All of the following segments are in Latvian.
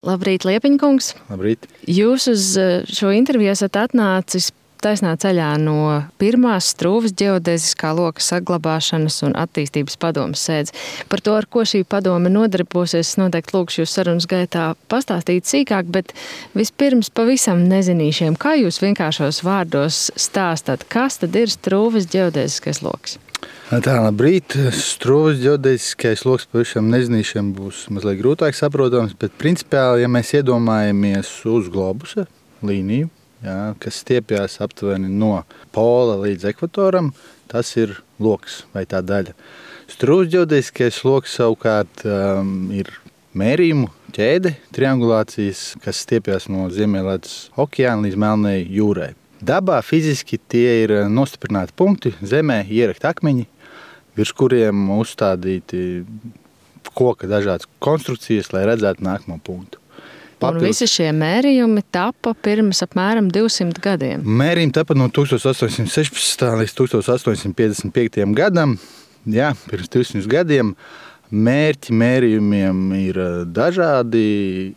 Labrīt, Liepiņkungs. Labrīt. Jūs uz šo interviju esat atnācis taisnā ceļā no pirmās Strūves ģeodēziskā loka saglabāšanas un attīstības padomes sēdes. Par to, ar ko šī padome nodarbosies, noteikti lūkšu jūs sarunas gaitā pastāstīt sīkāk, bet vispirms pavisam nezinīšiem, kā jūs vienkāršos vārdos stāstat, kas tad ir Strūves ģeodēziskais loks? Tā, labrīt. Strūves ģeodēziskais loks pavisam nezinīšiem būs mazliet grūtāk saprotams, bet principiāli, ja mēs iedomājamies uz globusa līniju, kas stiepjas aptuveni no pola līdz ekvatoram, tas ir loks vai tā daļa. Strūves ģeodēziskais loks savukārt ir mērījumu ķēde, triangulācijas, kas stiepjas no Ziemeļledus okeāna līdz Melnajai jūrai. Dabā fiziski tie ir nostiprināti punkti, zemē ierakt akmeņi, virs kuriem uzstādīti koka dažādas konstrukcijas, lai redzētu nākamo punktu. Un visi šie mērījumi tapa pirms apmēram 200 gadiem. Mērījumi tapa no 1816. līdz 1855. gadam. Jā, pirms 200 gadiem. Mērķi mērījumiem ir dažādi.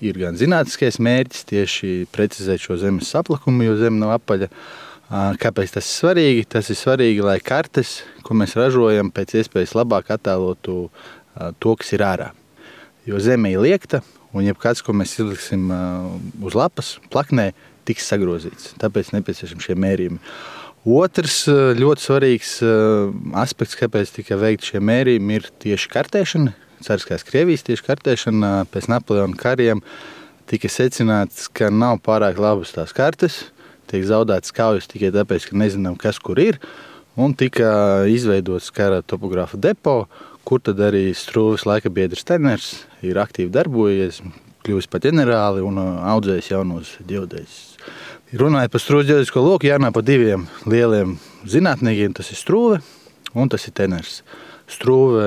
Ir gan zinātniskais mērķis tieši precizēt šo zemes saplakumu, jo zeme nav apaļa. Kāpēc tas ir svarīgi? Tas ir svarīgi, lai kartes, ko mēs ražojam, pēc iespējas labāk attēlotu to, kas ir ārā. Jo zeme ir liekta, un jebkāds, ko mēs izliksim uz lapas, plaknē, tiks sagrozīts. Tāpēc nepieciešami šie mērījumi. Otrs ļoti svarīgs aspekts, kāpēc tika veikti šie mērījumi, ir tieši kartēšana. Cariskās Krievijas tieši kartēšana pēc Napoleona kariem tika secināts, ka nav pārāk labas tās kartes, tiek zaudētas kaujas tikai tāpēc, ka nezinām, kas kur ir, un tika izveidots kara topogrāfa depo, kur tad arī Strūves laikabiedrs Teners ir aktīvi darbojies, kļuvis par ģenerāli un audzējis jaunos ģeodēzis. Runājot par Strūves ģeodēzisko loku, jārunā par diviem lieliem zinātniekiem, tas ir Strūve un tas ir Teners. Strūve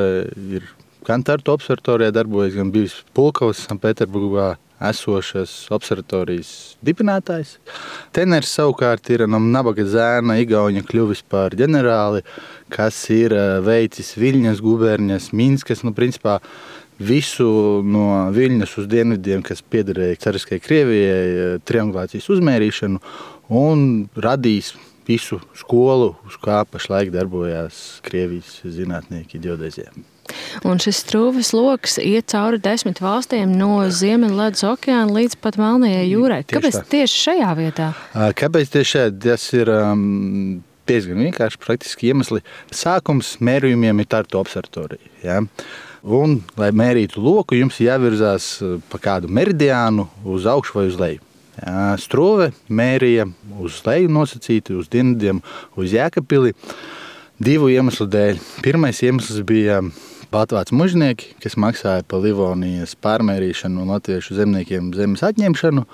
ir gan Tartu observatorijā darbojas, gan bijis Pulkovas Sanpēterburgā esošas observatorijas dibinātājs. Teners savukārt ir no nabaga zēna Igauņa kļuvis par ģenerāli, kas ir veicis Viļņas guberņas, Minskas, principā visu no Viļņas uz dienvidiem, kas piederēja Cariskai Krievijai, triangulācijas uzmērīšanu un radījis visu skolu, uz kā pašlaik darbojās Krievijas zinātnieki ģeodēzijā. Un šis Strūves loks iet cauri 10 valstīm no Ziemeļledus okeāna līdz pat Melnajai jūrai. Kāpēc tieši šajā vietā? Kāpēc tieši šeit? Tas ir diezgan vienkārši praktiski iemesli. Sākums mērījumiem ir Tartu observatorija. Ja? Un, lai mērītu loku, jums jāvirzās pa kādu meridiānu uz augšu vai uz leju. Ja? Strūve mērīja uz leju nosacīti, uz dienvidiem, uz Jēkabpili divu iemeslu dēļ. Pirmais iemesls bija baltvācu mužnieki, kas maksāja par Livonijas pārmērīšanu un latviešu zemniekiem zemes atņemšanu.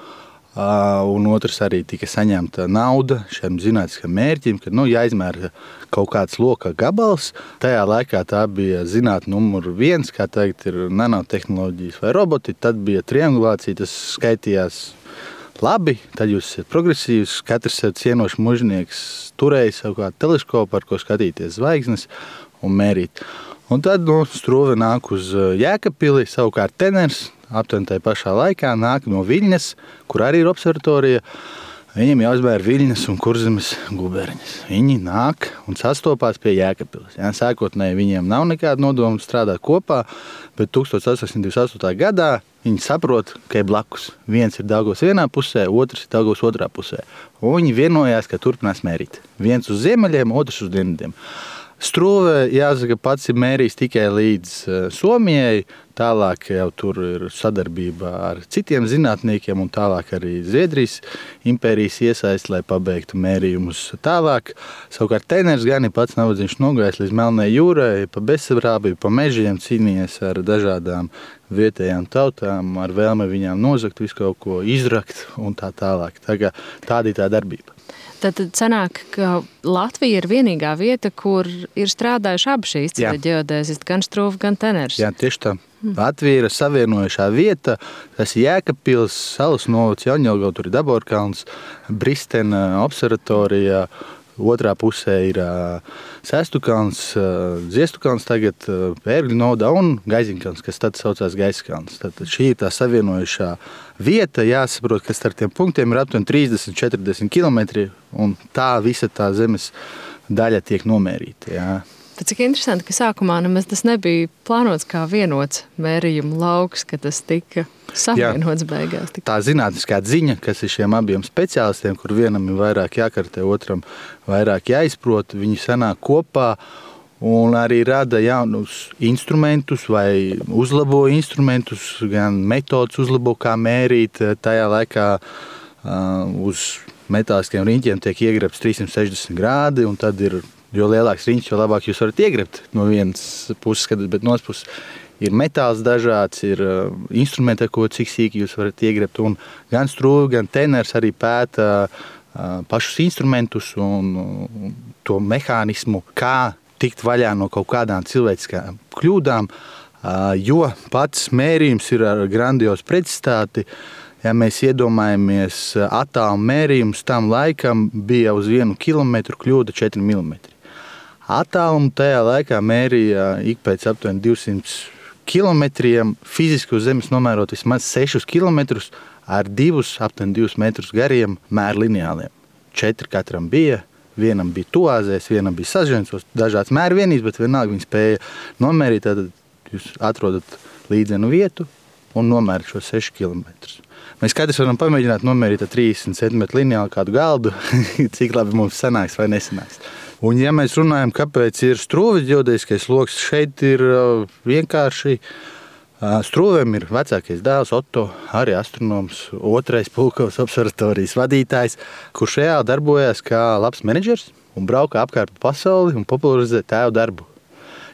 Un otrs arī tika saņemta nauda šiem zinātniskam mērķim, kad jāizmēra kaut kāds loka gabals. Tajā laikā tā bija zinātne numur 1, kā tagad ir nanotehnoloģijas vai roboti. Tad bija triangulācija, tas skaitījās labi, tad jūs esat progresīvs, katrs cienošs mužnieks turēja savu kādu teleskopu, ar ko skatīties zvaigznes un mērīt. Un tad Strūve nāk uz Jēkabpili, savukārt Teners aptuveni tajā pašā laikā nāk no Viļņas, kur arī ir observatorija. Viņiem jāuzmēra Viļņas un Kurzemes guberņas. Viņi nāk un sastopās pie Jēkabpiles. Sākotnēji viņiem nav nekāda nodoma strādāt kopā, bet 1828. gadā viņi saprot, ka ir blakus. Viens ir Daugavas vienā pusē, otrs ir Daugavas otrā pusē. Un viņi vienojās, ka turpinās mērīt. Viens uz ziemeļiem, otrs uz dienvidiem. Strūve, jāsaka, pats ir mērījis tikai līdz Somijai, tālāk jau tur ir sadarbība ar citiem zinātniekiem un tālāk arī Zviedrijas impērijas iesaist, lai pabeigtu mērījumus tālāk. Savukārt Teners gan ir pats navadziņš nogājis līdz Melnajai jūrai, pa bezsabrābību, pa mežiem cīnījies ar dažādām vietējām tautām, ar vēlmi viņām nozagt, visu kaut ko izrakt un tā tālāk. Tāda ir tā darbība. Tad sanāk, ka Latvija ir vienīgā vieta, kur ir strādājuši abi šīs ģeodēzisti, gan Strūve, gan Teners. Jā, tieši tā. Latvija ir savienojušā vieta, tas ir Jēkabpils, Salas novads, Jaunjelgava, tur ir Daborkalns, Bristena observatorija, Otrā pusē ir Sestukalns, Ziestukalns, tagad Ērgļu noda un Gaiziņkalns, kas tad saucās Gaiskalns. Tad šī ir tā savienojušā vieta. Jāsaprot, ka starp tiem punktiem ir aptuveni 30-40 kilometri, un tā visa tā zemes daļa tiek nomērīta. Jā. Tad cik interesanti, ka sākumā nemaz tas nebija plānots kā vienots mērījuma lauks, ka tas tika savienots beigās. Tā zinātniskā ziņa, kas ir šiem abiem speciālistiem, kur vienam ir vairāk jākartē, otram vairāk jāizprot, viņi sanāk kopā un arī rada jaunus instrumentus vai uzlabo instrumentus, gan metodas uzlabo, kā mērīt. Tajā laikā uz metāliskiem riņķiem tiek iegrebts 360 grādi, un tad ir jo lielāks riņķis, jo labāk jūs varat iegrebt no vienas puses, bet no otras puses ir metāls dažāds, ir instrumenti, ar ko cik sīki jūs varat iegrebt. Un gan strūve, gan teners arī pēta pašus instrumentus un to mehānismu, kā tikt vaļā no kaut kādām cilvēciskām kļūdām, jo pats mērījums ir ar grandiozu precizitāti. Ja mēs iedomājamies attālumu mērījumus, tam laikam bija uz 1 kilometru kļūda 4 milimetri. Attālumu tajā laikā mērīja ik pēc aptuveni 200 kilometriem, fiziski uz zemes nomērot vismaz 6 kilometrus ar aptuveni 2 metrus gariem mērlineāliem. 4 katram bija, vienam bija tuāzēs, vienam bija sažencos, dažāds mērvienības, bet vienalga viņi spēja nomērīt, tad jūs atrodat līdzenu vietu un nomērat šo 6 kilometrus. Mēs katrs varam pamēģināt nomērīt ar 30 cm lineāli kādu galdu, cik labi mums sanāks vai nesanāks. Un ja mēs runājam, kāpēc ir strūves ģeodēziskais loks, šeit ir vienkārši strūvēm ir vecākais dēls Otto, arī astronoms, otrais Pulkovas observatorijas vadītājs, kurš reāli darbojās kā labs menedžers un brauka apkārt pa pasauli un popularizē tēvu darbu.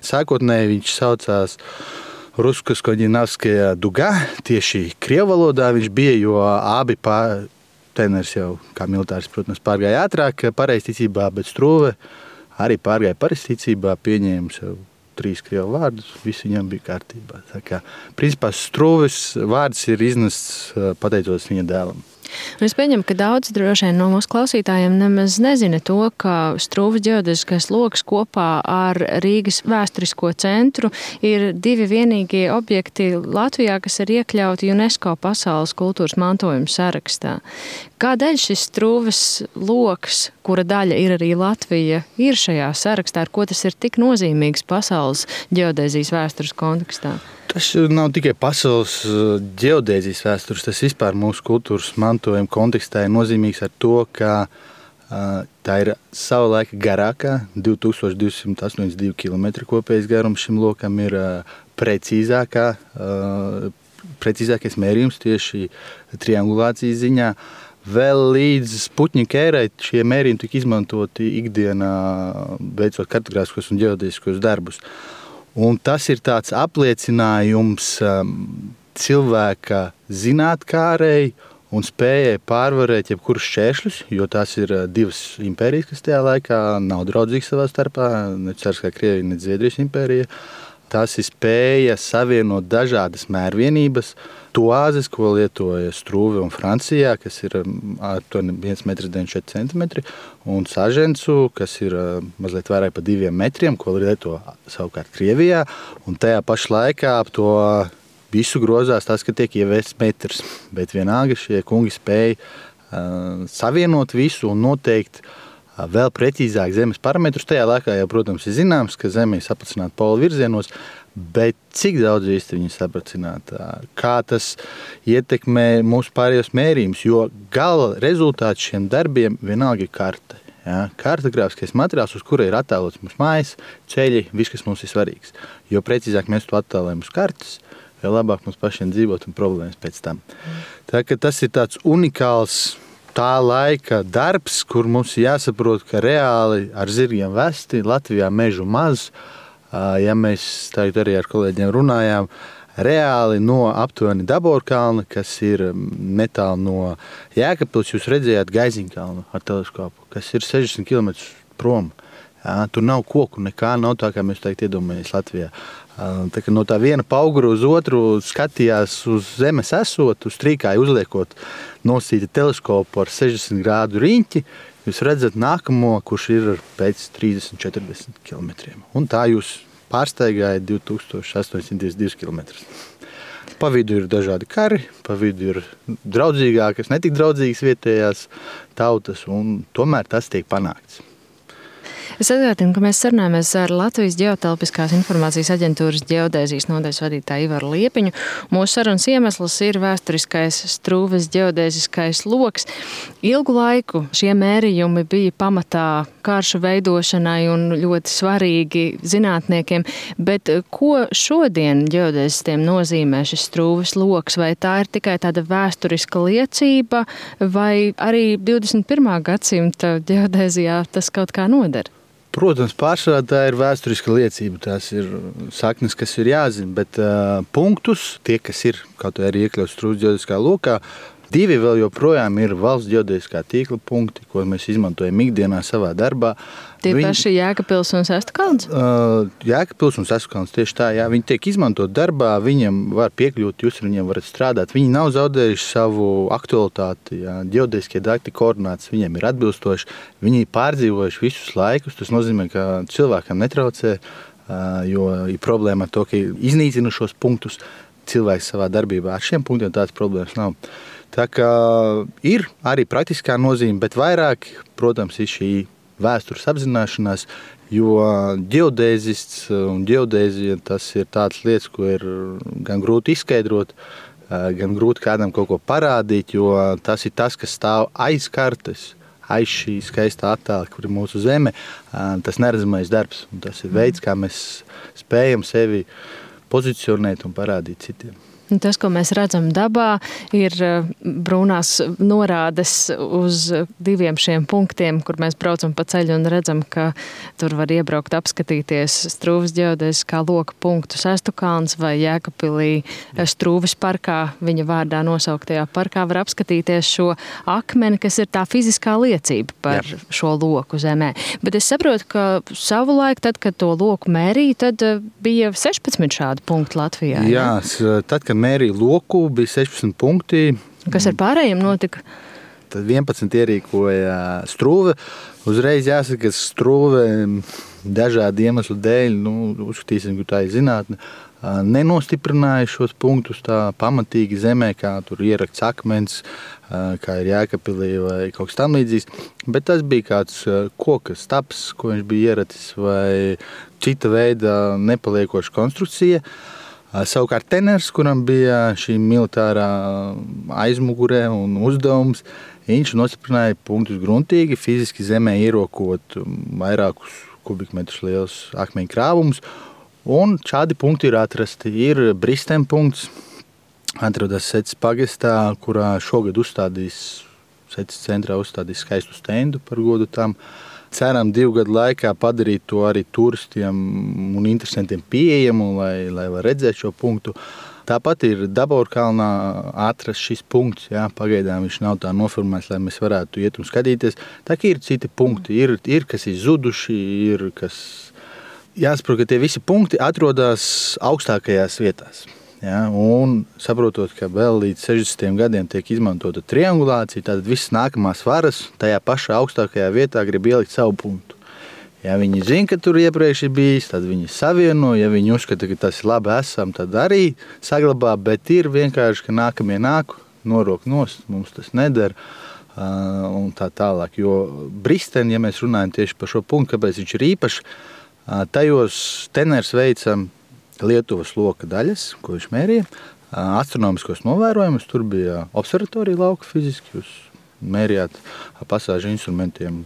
Sākotnēji viņš saucās Rusko-Skoģinavskaja Duga, tieši krievu valodā viņš bija, jo abi teners jau kā militārs, protams, pārgāja ātrāk pareizticībā, bet strūve arī pārgāja pareizticībā, pieņēma sev 3 krievu vārdus, viss viņam bija kārtībā. Tā kā, principā, strūves vārds ir iznests pateicoties viņa dēlam. Un es pieņemu, ka daudz droši vien no mūsu klausītājiem nemaz nezina to, ka strūves ģeodēziskais loks kopā ar Rīgas vēsturisko centru ir 2 vienīgie objekti Latvijā, kas ir iekļauti UNESCO pasaules kultūras mantojuma sarakstā. Kādēļ šis strūves loks, kura daļa ir arī Latvija, ir šajā sarakstā, ar ko tas ir tik nozīmīgs pasaules ģeodēzijas vēstures kontekstā? Tas nav tikai pasaules ģeodēzijas vēstures, tas vispār mūsu kultūras mantojuma kontekstā ir nozīmīgs ar to, ka tā ir sava laika garākā, 2282 km kopējais garums šim lokam ir precīzākais mērījums tieši triangulācijas ziņā. Vēl līdz Sputņika ērai šie mērījumi tika izmantoti ikdienā, veicot kartogrāfiskos un ģeodēziskos darbus. Un tas ir tāds apliecinājums cilvēka zinātkārei un spējai pārvarēt jebkurus šķēršļus, jo tās ir 2 impērijas, kas tajā laikā nav draudzīgas savā starpā, ne Carskā Krievija, ne Zviedrijas impērija. Tas ir spēja savienot dažādas mērvienības, tuāzes, ko lietoja strūve un Francijā, kas ir 1,94 m, un sažencu, kas ir mazliet vairāk pa 2 metriem, ko lieto savukārt Krievijā. Un tajā pašā laikā ap to visu grozās tas, ka tiek ievests metrs. Bet vienalga šie kungi spēja savienot visu un noteikt vēl precīzāk zemes parametrus. Tajā laikā jau, protams, ir zināms, ka Zeme ir sapracināta polu virzienos, bet cik daudz īsti viņi sapracināta, kā tas ietekmē mūsu pārējos mērījumus, jo gala rezultāts šiem darbiem vienalga ir karte. Ja? Kartogrāfiskais materiāls, uz kura ir attēlots mūsu mājas, ceļi, viss, kas mums ir svarīgs. Jo precīzāk mēs to attēlojam uz kartes, jo labāk mums pašiem dzīvot un problēmas pēc tam. Tā ka tas ir tāds unikāls tā laika darbs, kur mums jāsaprot, ka reāli ar zirgiem vesti Latvijā mežu maz. Ja mēs tagad arī ar kolēģiem runājām, reāli no aptuveni Daborkalna, kas ir netālu no Jēkabpils, jūs redzējāt Gaiziņkalnu ar teleskopu, kas ir 60 km prom. Tur nav koku, nekā nav tā, kā mēs tagad iedomājamies Latvijā. Tā, no tā viena paugura uz otru skatījās uz zemes esot, uz trīkāju uzliekot nosīti teleskopu ar 60 grādu riņķi. jūs redzat nākamo, kurš ir pēc 30-40 km. Un tā jūs pārsteigājat 2802 km. Pa vidu ir dažādi kari, pa vidu ir draudzīgākas, netik draudzīgas vietējās tautas, un tomēr tas tiek panākts. Es atgādinu, ka mēs sarunājamies ar Latvijas Ģeotelpiskās informācijas aģentūras ģeodēzijas nodaļas vadītāju Ivaru Liepiņu. Mūsu sarunas iemesls ir vēsturiskais Strūves ģeodēziskais loks. Ilgu laiku šie mērījumi bija pamatā karšu veidošanai un ļoti svarīgi zinātniekiem, bet ko šodien ģeodēzistiem nozīmē šis Strūves loks? Vai tā ir tikai tāda vēsturiska liecība, vai arī 21. gadsimta ģeodēzijā tas kaut kā noder? Protams, pārsvarā tā ir vēsturiska liecība, tās ir saknes, kas ir jāzina, bet punktus, tie, kas ir kaut vai arī iekļauts Strūves ģeodēziskā lokā, 2 vēl joprojām ir valsts ģeodēziskā tīkla punkti, ko mēs izmantojam ikdienā savā darbā. Tie paši Jēkabpils un Sestkalns? Jēkabpils un Sestkalns, tieši tā, jā. Viņi tiek izmantot darbā, viņiem var piekļūt, jūs ar viņiem varat strādāt. Viņi nav zaudējuši savu aktualitāti, jā. Ģeodēziskie dati koordinātas viņiem ir atbilstoši. Viņi pārdzīvojuši visus laikus, tas nozīmē, ka cilvēkam netraucē, jo ir problēma ar to, ka iznīcina šos punktus. Cilvēks savā darbībā ar šiem punktiem tādas problēmas nav. Tā kā ir arī praktiskā nozīme, bet vairāk, protams, ir šī vēstures apzināšanās, jo ģeodēzists un ģeodēzija tas ir tādas lietas, ko ir gan grūti izskaidrot, gan grūti kādam kaut ko parādīt, jo tas ir tas, kas stāv aiz kartes, aiz šī skaistā attēla, kur ir mūsu zeme, tas neredzamais darbs. Un tas ir veids, kā mēs spējam sevi pozicionēt un parādīt citiem. Tas, ko mēs redzam dabā, ir brūnās norādes uz 2 šiem punktiem, kur mēs braucam pa ceļu un redzam, ka tur var iebraukt apskatīties Strūves ģeodēziskā loka punktu Sestkalns vai Jēkabpilī Strūves parkā, viņa vārdā nosauktajā parkā var apskatīties šo akmeni, kas ir tā fiziskā liecība par šo loku zemē. Bet es saprotu, ka savulaik, tad, kad to loku mērīja, tad bija 16 šādu punktu Latvijā. Jā, tad, kad mērīja loku, bija 16 punkti. Kas ar pārējiem notika? Tad 11 ierīkoja Strūve. Uzreiz jāsaka, ka Strūve dažādu iemeslu dēļ, uzskatīsim, ka tā ir zinātne, nenostiprināja šos punktus tā pamatīgi zemē, kā tur ierakts akmens, kā ir Jēkabpilī vai kaut kas tam līdzīgs. Bet tas bija kāds koka staps, ko viņš bija ieracis, vai cita veida nepaliekoša konstrukcija. Savukārt teners, kuram bija šī militārā aizmugurē un uzdevums, viņš nostiprināja punktus gruntīgi, fiziski zemē ierokot vairākus kubikmetrus lielus akmeņu krāvumus, un šādi punkti ir atrasti. Ir Bristēm punkts, atrodas Seces pagastā, kurā šogad Seces centrā uzstādīs skaistu stendu par godu tam. Ceram 2 gadu laikā padarīt to arī turistiem un interesantiem pieejamu, lai var redzēt šo punktu. Tāpat ir Daborkalnā atrast šis punkts. Jā, pagaidām viņš nav tā noformēts, lai mēs varētu iet un skatīties. Tā kā ir citi punkti, ir kas ir zuduši, ir kas... Jāsaprot, ka tie visi punkti atrodas augstākajās vietās. Ja, un saprotot, ka vēl līdz 60 gadiem tiek izmantota triangulācija, tad visas nākamās varas tajā pašā augstākajā vietā grib ielikt savu punktu. Ja viņi zina, ka tur iepriekš ir bijis, tad viņi savieno, ja viņi uzskata, ka tas ir labi esam, tad arī saglabā, bet ir vienkārši, ka nākamie nāk, norok nost, mums tas neder un tā tālāk. Jo Bristēn, ja mēs runājam tieši par šo punktu, kāpēc viņš ir īpašs, tajos teners veicam Lietuvas loka daļas, ko viņš mērīja, astronomiskos novērojumus, tur bija observatorija lauka fiziski, jūs mērījāt pasāžu instrumentiem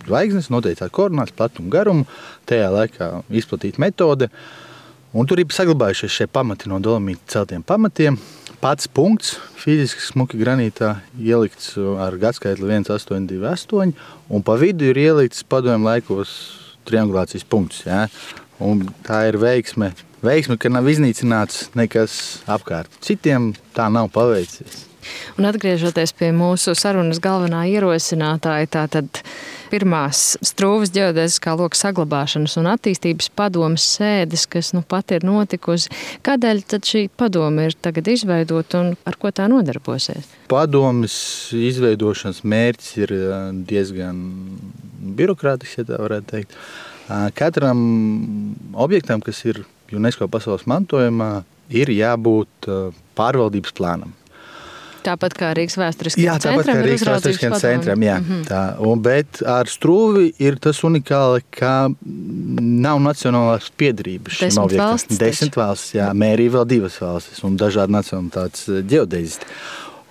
zvaigznes, noteicāt koordinātas, platumu, garumu, tajā laikā izplatīta metode, un tur ir saglabājušies šie pamati no dolomīta celtiem pamatiem. Pats punkts fiziski smuki granītā ielikts ar gadskaitli 1828, un pa vidu ir ielikts padomju laikos triangulācijas punkts, jā. Un tā ir veiksme, ka nav iznīcināts nekas apkārt. Citiem tā nav paveicies. Un atgriežoties pie mūsu sarunas galvenā ierosinātāja, tātad Pirmās Strūvas ģeodēziskā loka saglabāšanas un attīstības padomes sēdes, kas pat ir notikusi. Kādēļ tad šī padome ir tagad izveidota un ar ko tā nodarbosies? Padomes izveidošanas mērķis ir diezgan birokrātisks, ja tā varētu teikt. Katram objektam, kas ir UNESCO pasaules mantojumā, ir jābūt pārvaldības plānam. Tāpat kā Rīgas vēsturiskajam centram. Jā, tāpat kā Rīgas vēsturiskajam centram, jā. Bet ar Strūvi ir tas unikāli, ka nav nacionālās piederības šim objektam. 10 valstis, jā, mērīja vēl 2 valstis un dažādi nacionalitātes ģeodēzisti.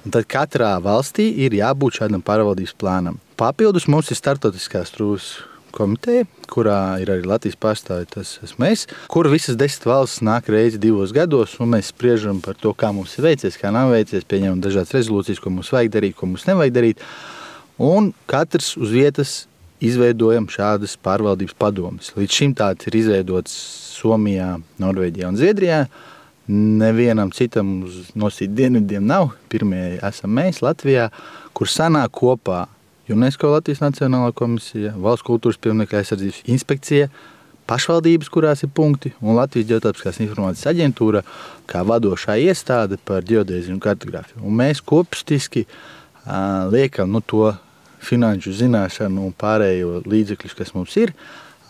Un tad katrā valstī ir jābūt šādam pārvaldības plānam. Papildus mums ir startautiskā Strūvas komiteja, kurā ir arī Latvijas pārstāvji, tas esmu es, kur visas 10 valstis nāk reizi 2 gados, un mēs spriežam par to, kā mums ir veicies, kā nav veicies, pieņemam dažādas rezolūcijas, ko mums vajag darīt, ko mums nevajag darīt, un katrs uz vietas izveidojam šādas pārvaldības padomes. Līdz šim tāds ir izveidots Somijā, Norvēģijā un Zviedrijā. Nevienam citam uz nosīt dienvidiem nav. Pirmie esam mēs Latvijā, kur sanāk kopā UNESCO Latvijas Nacionālā komisija, Valsts kultūras pieminekļu aizsardzības inspekcija, pašvaldības, kurās ir punkti, un Latvijas ģeotelpiskās informācijas aģentūra kā vadošā iestāde par ģeodēziju un kartogrāfiju. Un mēs kopstiski liekam to finanšu zināšanu un pārējo līdzekļus, kas mums ir,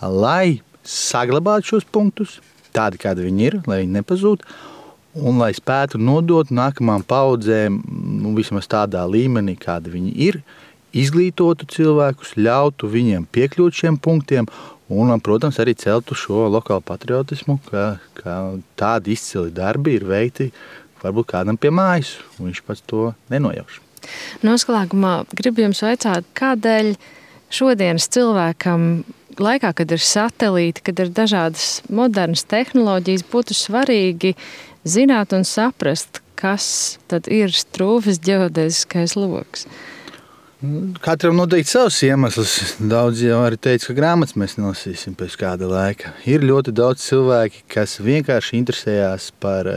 lai saglabātu šos punktus, tādi, kādi viņi ir, lai viņi nepazūd, un lai spētu nodot nākamām paudzēm, vismaz tādā līmenī, kādi viņi ir, izglītotu cilvēkus, ļautu viņiem piekļūt šiem punktiem un, protams, arī celtu šo lokālu patriotismu, ka tādi izcili darbi ir veikti varbūt kādam pie mājas, un viņš pats to nenojauš. Noslēgumā gribu jums vaicāt, kādēļ šodienas cilvēkam laikā, kad ir satelīti, kad ir dažādas modernas tehnoloģijas, būtu svarīgi zināt un saprast, kas tad ir Strūvas ģeodēziskais loks? Katram noteikti savs iemesls. Daudz jau arī teica, ka grāmatas mēs nolasīsim pēc kāda laika. Ir ļoti daudz cilvēki, kas vienkārši interesējās par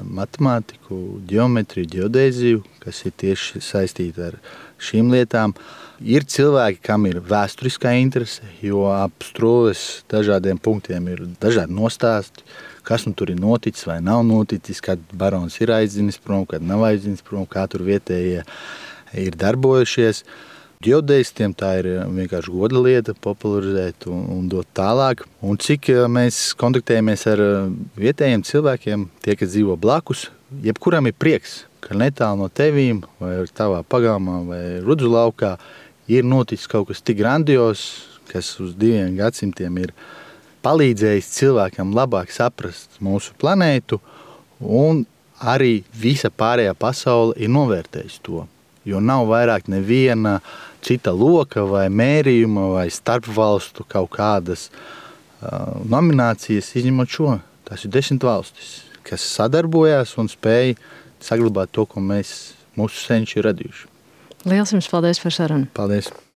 matemātiku, ģeometriju, ģeodēziju, kas ir tieši saistīti ar šīm lietām. Ir cilvēki, kam ir vēsturiskā interese, jo ap Strūves dažādiem punktiem ir dažādi nostāsti, kas tur ir noticis vai nav noticis, kad barons ir aizdzinis prom, kad nav aizdzinis prom, kā tur vietējie ir darbojušies. Ģeodēzistiem tā ir vienkārši goda lieta popularizēt un dot tālāk. Un cik mēs kontaktējamies ar vietējiem cilvēkiem, tie, kas dzīvo blakus, jebkuram ir prieks, ka netālu no tevīm vai tavā pagalmā vai Rudzu laukā ir noticis kaut kas tik grandios, kas uz 2 gadsimtiem ir palīdzējis cilvēkam labāk saprast mūsu planētu, un arī visa pārējā pasaule ir novērtējusi to. Jo nav vairāk neviena cita loka vai mērījuma vai starpvalstu kaut kādas nominācijas, izņemot šo. Tas ir 10 valstis, kas sadarbojās un spēja saglabāt to, ko mūsu senči ir radījuši. Liels jums paldies par sarunu. Paldies.